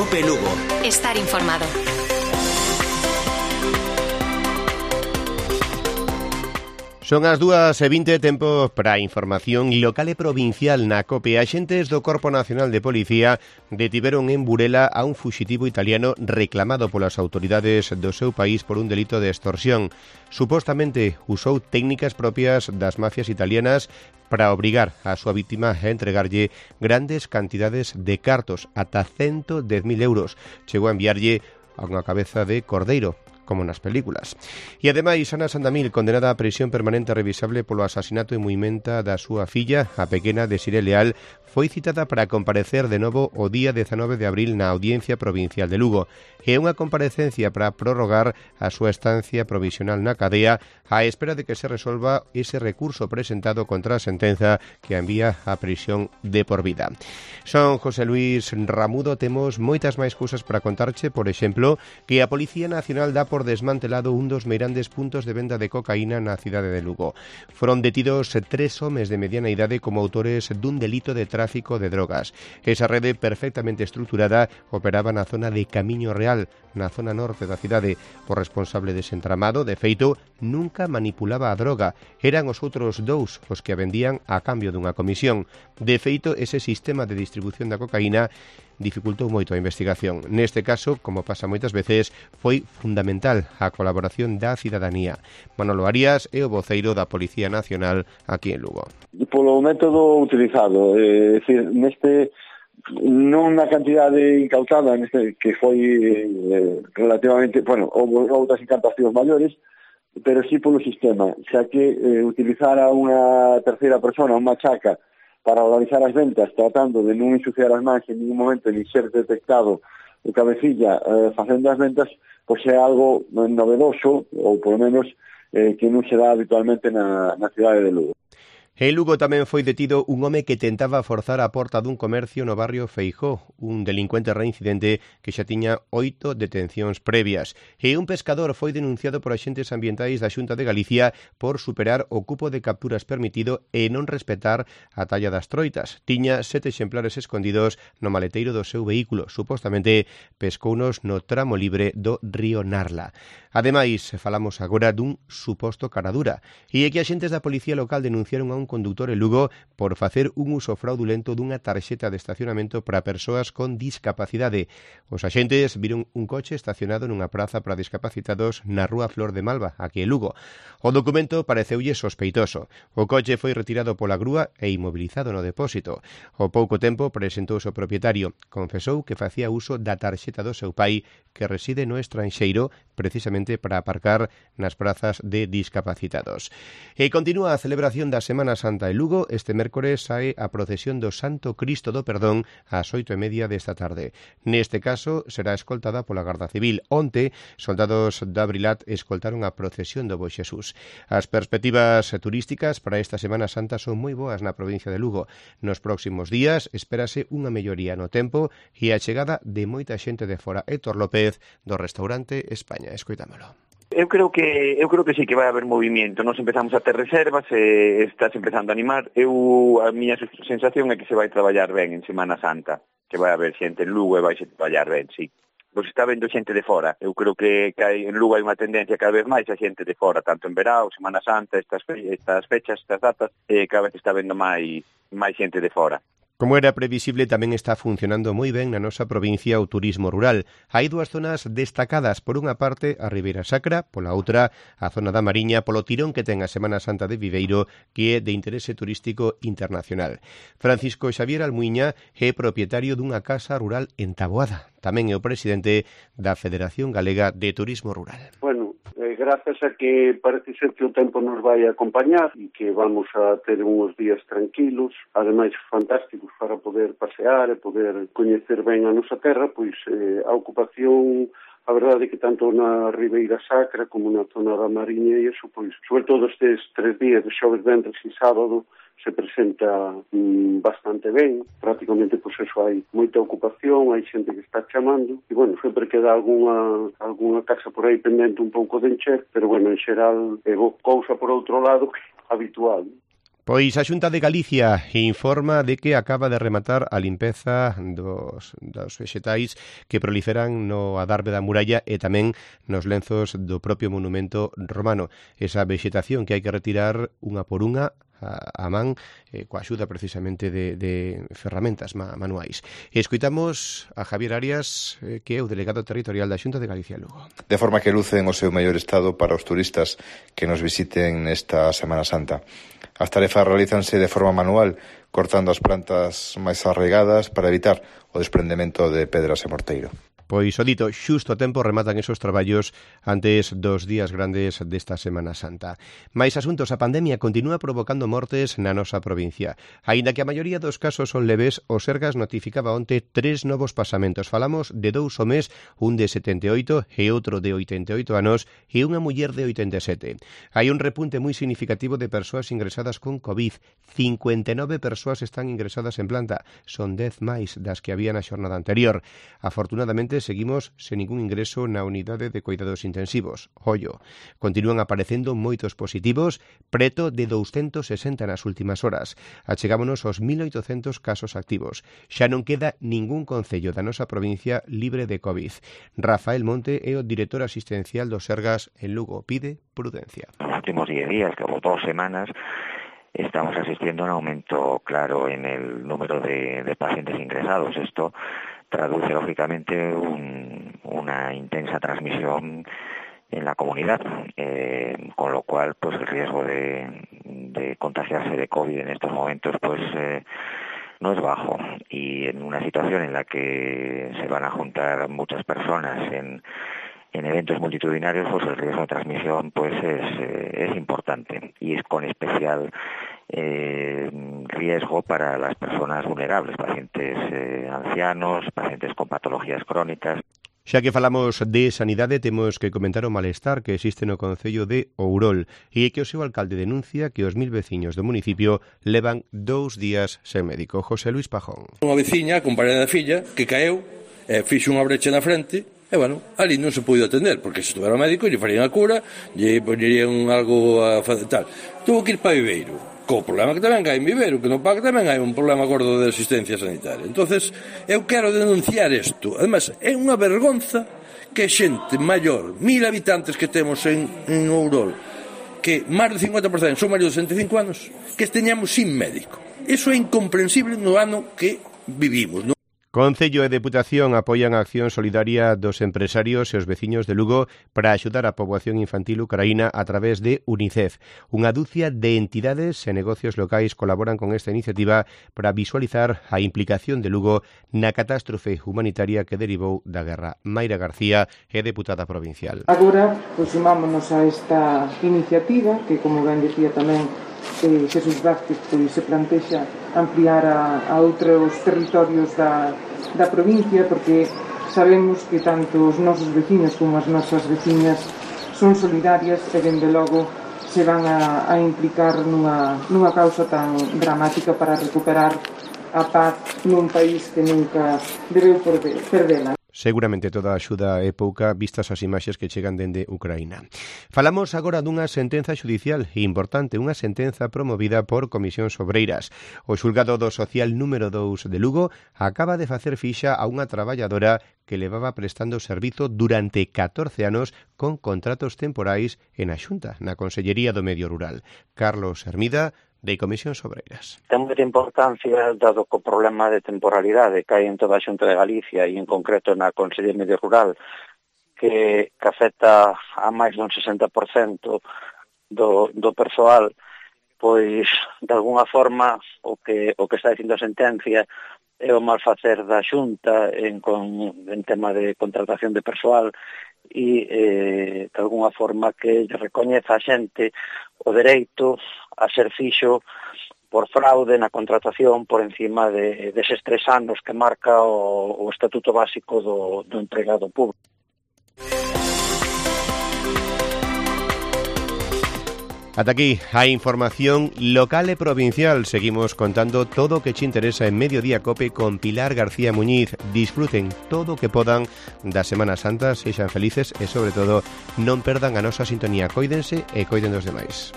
Cope Lugo. Estar informado. Son as 2:20, tempo para a información local e provincial na COPE. Axentes do Corpo Nacional de Policía detiveron en Burela a un fuxitivo italiano reclamado polas autoridades do seu país por un delito de extorsión. Supostamente usou técnicas propias das mafias italianas para obrigar a súa víctima a entregarlle grandes cantidades de cartos, ata 110.000 euros. Chegou a enviarlle a unha cabeza de cordeiro, como nas películas. E ademais, Ana Sandamil, condenada a prisión permanente revisable polo asasinato e muimenta da súa filla, a pequena Desiré Leal, foi citada para comparecer de novo o día 19 de abril na Audiencia Provincial de Lugo. É unha comparecencia para prorrogar a súa estancia provisional na cadea á espera de que se resolva ese recurso presentado contra a sentenza que a envía a prisión de por vida. Son José Luis Ramudo, temos moitas máis cousas para contarche, por exemplo, que a Policía Nacional dá por desmantelado un dos meirandes puntos de venda de cocaína na cidade de Lugo. Foron detidos 3 homes de mediana idade como autores dun delito de tráfico de drogas. Esa rede perfectamente estruturada operaba na zona de Camiño Real, na zona norte da cidade. O responsable dese entramado, de feito, nunca manipulaba a droga. Eran os outros dous os que a vendían a cambio dunha comisión. De feito, ese sistema de distribución da cocaína dificultou moito a investigación. Neste caso, como pasa moitas veces, foi fundamental a colaboración da cidadanía. Manolo Arias é o voceiro da Policía Nacional aquí en Lugo. Polo método utilizado, é dicir, neste non na cantidade incautada, neste que foi relativamente, bueno, houve outras incantacións maiores, pero sí polo sistema, xa que utilizara unha terceira persona, unha chaca, para organizar as ventas, tratando de non ensuciar as mans en ningún momento, ni ser detectado o cabecilla facendo as ventas, pois é algo novedoso, ou polo menos que non se dá habitualmente na cidade de Lugo. En Lugo tamén foi detido un home que tentaba forzar a porta dun comercio no barrio Feijó, un delincuente reincidente que xa tiña 8 detencións previas. E un pescador foi denunciado por axentes ambientais da Xunta de Galicia por superar o cupo de capturas permitido e non respetar a talla das troitas. Tiña 7 exemplares escondidos no maleteiro do seu vehículo. Supostamente pescounos no tramo libre do río Narla. Ademais, falamos agora dun suposto caradura. E é que axentes da Policía Local denunciaron a un conductor en Lugo por facer un uso fraudulento dunha tarxeta de estacionamento para persoas con discapacidade. Os axentes viron un coche estacionado nunha praza para discapacitados na rúa Flor de Malva, aquí en Lugo. O documento pareceulle sospeitoso. O coche foi retirado pola grúa e inmobilizado no depósito. Ao pouco tempo presentouse o propietario. Confesou que facía uso da tarxeta do seu pai, que reside no estranxeiro, precisamente para aparcar nas prazas de discapacitados. E continúa a celebración da Semana Santa en Lugo. Este mércores sae a procesión do Santo Cristo do Perdón ás 8:30 desta tarde. Neste caso será escoltada pola Garda Civil. Onte, soldados da Brilat escoltaron a procesión do Bo Xesús. As perspectivas turísticas para esta Semana Santa son moi boas na provincia de Lugo. Nos próximos días espérase unha melloría no tempo e a chegada de moita xente de fora. Héctor López, do restaurante España. Escoitámolo. Eu creo que sí que vai haber movimento. Nos empezamos a ter reservas e estás empezando a animar. A miña sensación é que se vai traballar ben en Semana Santa, que vai haber xente en Lugo e vai traballar ben, sí. Pois está vendo xente de fora. Eu creo que en Lugo hai unha tendencia cada vez máis a xente de fora, tanto en verao, Semana Santa, estas fechas, estas datas, cada vez está vendo máis xente de fora. Como era previsible, tamén está funcionando moi ben na nosa provincia o turismo rural. Hai dúas zonas destacadas. Por unha parte, a Ribeira Sacra, pola outra, a zona da Mariña, polo tirón que ten a Semana Santa de Viveiro, que é de interese turístico internacional. Francisco Xavier Almuiña é propietario dunha casa rural en Taboada. Tamén é o presidente da Federación Galega de Turismo Rural. Bueno, grazas a que parece ser que o tempo nos vai a acompañar e que vamos a ter uns días tranquilos, ademais fantásticos para poder pasear e poder coñecer ben a nosa terra, pois a ocupación, a verdade é que tanto na Ribeira Sacra como na zona da Mariña e iso, pois, sobre todo estes 3 días de xoves, ventres e sábado, se presenta bastante ben. Prácticamente, pois, eso, hai moita ocupación, hai xente que está chamando, e, bueno, sempre queda algunha casa por aí pendente un pouco de encher, pero, bueno, en xeral, é cousa por outro lado habitual. Pois a Xunta de Galicia informa de que acaba de rematar a limpeza dos vexetais que proliferan no adarve da muralla e tamén nos lenzos do propio monumento romano. Esa vexetación que hai que retirar unha por unha a man, coa axuda precisamente de ferramentas manuais. Escoitamos a Javier Arias, que é o delegado territorial da Xunta de Galicia Lugo. De forma que lucen o seu mellor estado para os turistas que nos visiten esta Semana Santa. As tarefas realízanse de forma manual, cortando as plantas máis arraigadas para evitar o desprendemento de pedras e morteiro. Pois o dito, xusto a tempo rematan esos traballos antes dos días grandes desta Semana Santa. Mais asuntos, a pandemia continúa provocando mortes na nosa provincia. Aínda que a maioría dos casos son leves, o Sergas notificaba onte 3 novos pasamentos. Falamos de 2 ao mes, un de 78 e outro de 88 anos e unha muller de 87. Hai un repunte moi significativo de persoas ingresadas con COVID. 59 persoas están ingresadas en planta. Son 10 máis das que había na xornada anterior. Afortunadamente, seguimos sen ningún ingreso na unidade de cuidados intensivos. Ollo, continúan aparecendo moitos positivos, preto de 260 nas últimas horas. Achegámonos aos 1.800 casos activos. Xa non queda ningún concello da nosa provincia libre de COVID. Rafael Monte é o director asistencial do Sergas en Lugo. Pide prudencia. Nos últimos 10 días, como 2 semanas, estamos asistiendo a un aumento claro en el número de pacientes ingresados. Esto traduce lógicamente una intensa transmisión en la comunidad, con lo cual pues el riesgo de contagiarse de COVID en estos momentos pues no es bajo, y en una situación en la que se van a juntar muchas personas en eventos multitudinarios, pues el riesgo de transmisión pues es importante, y es con especial riesgo para las personas vulnerables, pacientes ancianos, pacientes con patologías crónicas. Xa que falamos de sanidade, temos que comentar o malestar que existe no concello de Ourol e que o seu alcalde denuncia que os 1000 veciños do municipio levan 2 días sen médico. José Luis Pajón. Unha veciña, compañera da filla, que caeu, fixo unha brecha na frente, e, bueno, ali non se puido atender, porque se estuvera o médico, lle farían a cura, lle poñerían algo a facer tal. Tuvo que ir para Viveiro, co problema que tamén hai en Viveiro, que no PAC tamén hai un problema gordo de asistencia sanitaria. Entonces, eu quero denunciar isto. Además, é unha vergonza que xente maior, 1000 habitantes que temos en Ourol, que máis do 50% son maiores de 65 anos, que esteñamos sin médico. Iso é incomprensible no ano que vivimos, non? Concello e Deputación apoian a acción solidaria dos empresarios e os veciños de Lugo para axudar a poboación infantil ucraína a través de UNICEF. Unha dúcia de entidades e negocios locais colaboran con esta iniciativa para visualizar a implicación de Lugo na catástrofe humanitaria que derivou da guerra. Mayra García é deputada provincial. Agora, sumámonos a esta iniciativa que, como ben decía tamén Xesús Vázquez, se plantexa ampliar a outros territorios da provincia, porque sabemos que tanto os nosos veciños como as nosas veciñas son solidarias e, dende logo, se van a implicar nunha causa tan dramática para recuperar a paz nun país que nunca debeu perdela. Seguramente toda a axuda é pouca vistas as imaxes que chegan dende Ucraína. Falamos agora dunha sentenza xudicial importante, unha sentenza promovida por Comisións Obreiras. O xulgado do social número 2 de Lugo acaba de facer fixa a unha traballadora que levaba prestando servizo durante 14 anos con contratos temporais en a Xunta, na Consellería do Medio Rural. Carlos Hermida, de Comisións Obreiras. Ten moita importancia, dado que o problema de temporalidade que hai en toda a Xunta de Galicia e en concreto na Consellería Medio Rural, que afecta a máis dun 60% do persoal, pois, de alguna forma, o que está dicindo a sentencia é o mal facer da Xunta en tema de contratación de persoal e, de alguna forma, que recoñeza a xente o dereito a ser fixo por fraude na contratación por encima deses 3 anos que marca o Estatuto Básico do empregado público. Ata aquí a información local e provincial. Seguimos contando todo o que che interesa en Mediodía Cope con Pilar García Muñiz. Disfruten todo o que podan da Semana Santa, sexan felices e, sobre todo, non perdan a nosa sintonía. Cóidense e coiden dos demais.